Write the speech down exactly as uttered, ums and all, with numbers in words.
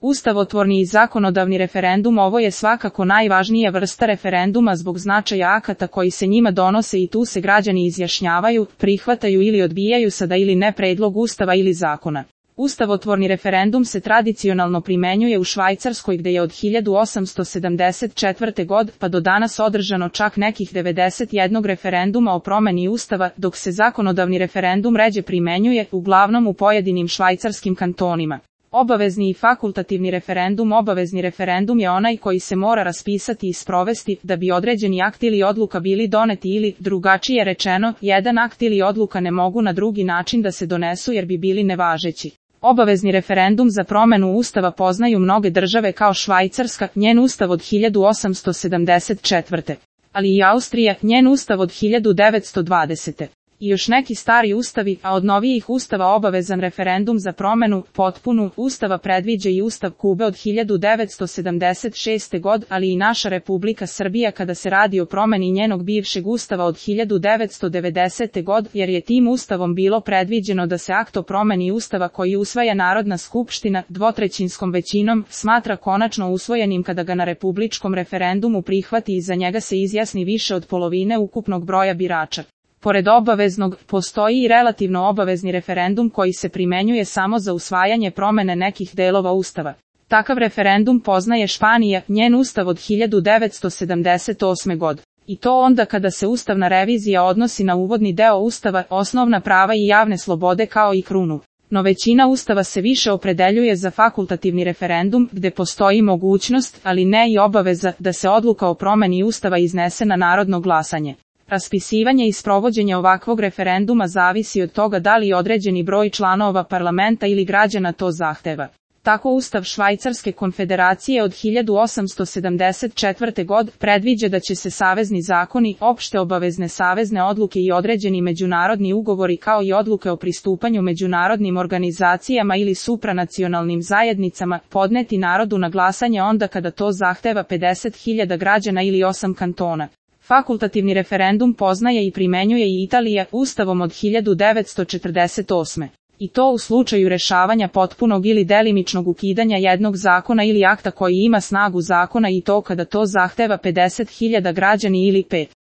Ustavotvorni i zakonodavni referendum. Ovo je svakako najvažnija vrsta referenduma zbog značaja akata koji se njima donose i tu se građani izjašnjavaju, prihvataju ili odbijaju sada ili ne predlog ustava ili zakona. Ustavotvorni referendum se tradicionalno primenjuje u Švajcarskoj gde je od hiljadu osamsto sedamdeset četvrte. godine pa do danas održano čak nekih devedeset jedan referenduma o promeni ustava, dok se zakonodavni referendum ređe primenjuje, uglavnom u pojedinim švajcarskim kantonima. Obavezni i fakultativni referendum. Obavezni referendum je onaj koji se mora raspisati i sprovesti da bi određeni akt ili odluka bili doneti ili, drugačije rečeno, jedan akt ili odluka ne mogu na drugi način da se donesu jer bi bili nevažeći. Obavezni referendum za promenu ustava poznaju mnoge države kao Švajcarska, njen ustav od hiljadu osamsto sedamdeset četvrte. ali i Austrija, njen ustav od hiljadu devetsto dvadesete. I još neki stari ustavi, a od novijih ustava obavezan referendum za promenu, potpunu, ustava predviđa i ustav Kube od hiljadu devetsto sedamdeset šeste. godine, ali i naša Republika Srbija kada se radi o promeni njenog bivšeg ustava od hiljadu devetsto devedesete. godine, jer je tim ustavom bilo predviđeno da se akt o promeni ustava koji usvaja Narodna skupština dvotrećinskom većinom smatra konačno usvojenim kada ga na republičkom referendumu prihvati i za njega se izjasni više od polovine ukupnog broja birača. Pored obaveznog, postoji i relativno obavezni referendum koji se primenjuje samo za usvajanje promene nekih delova ustava. Takav referendum poznaje Španija, njen ustav od hiljadu devetsto sedamdeset osme. godine. I to onda kada se ustavna revizija odnosi na uvodni deo ustava, osnovna prava i javne slobode kao i krunu. No većina ustava se više opredeljuje za fakultativni referendum, gde postoji mogućnost, ali ne i obaveza, da se odluka o promeni ustava iznese na narodno glasanje. Raspisivanje i sprovođenje ovakvog referenduma zavisi od toga da li određeni broj članova parlamenta ili građana to zahteva. Tako Ustav Švajcarske konfederacije od hiljadu osamsto sedamdeset četvrte. godine predviđa da će se savezni zakoni, opšte obavezne savezne odluke i određeni međunarodni ugovori kao i odluke o pristupanju međunarodnim organizacijama ili supranacionalnim zajednicama podneti narodu na glasanje onda kada to zahteva pedeset hiljada građana ili osam kantona. Fakultativni referendum poznaje i primenjuje i Italija ustavom od hiljadu devetsto četrdeset osme. I to u slučaju rešavanja potpunog ili delimičnog ukidanja jednog zakona ili akta koji ima snagu zakona i to kada to zahteva pedeset hiljada građani ili pet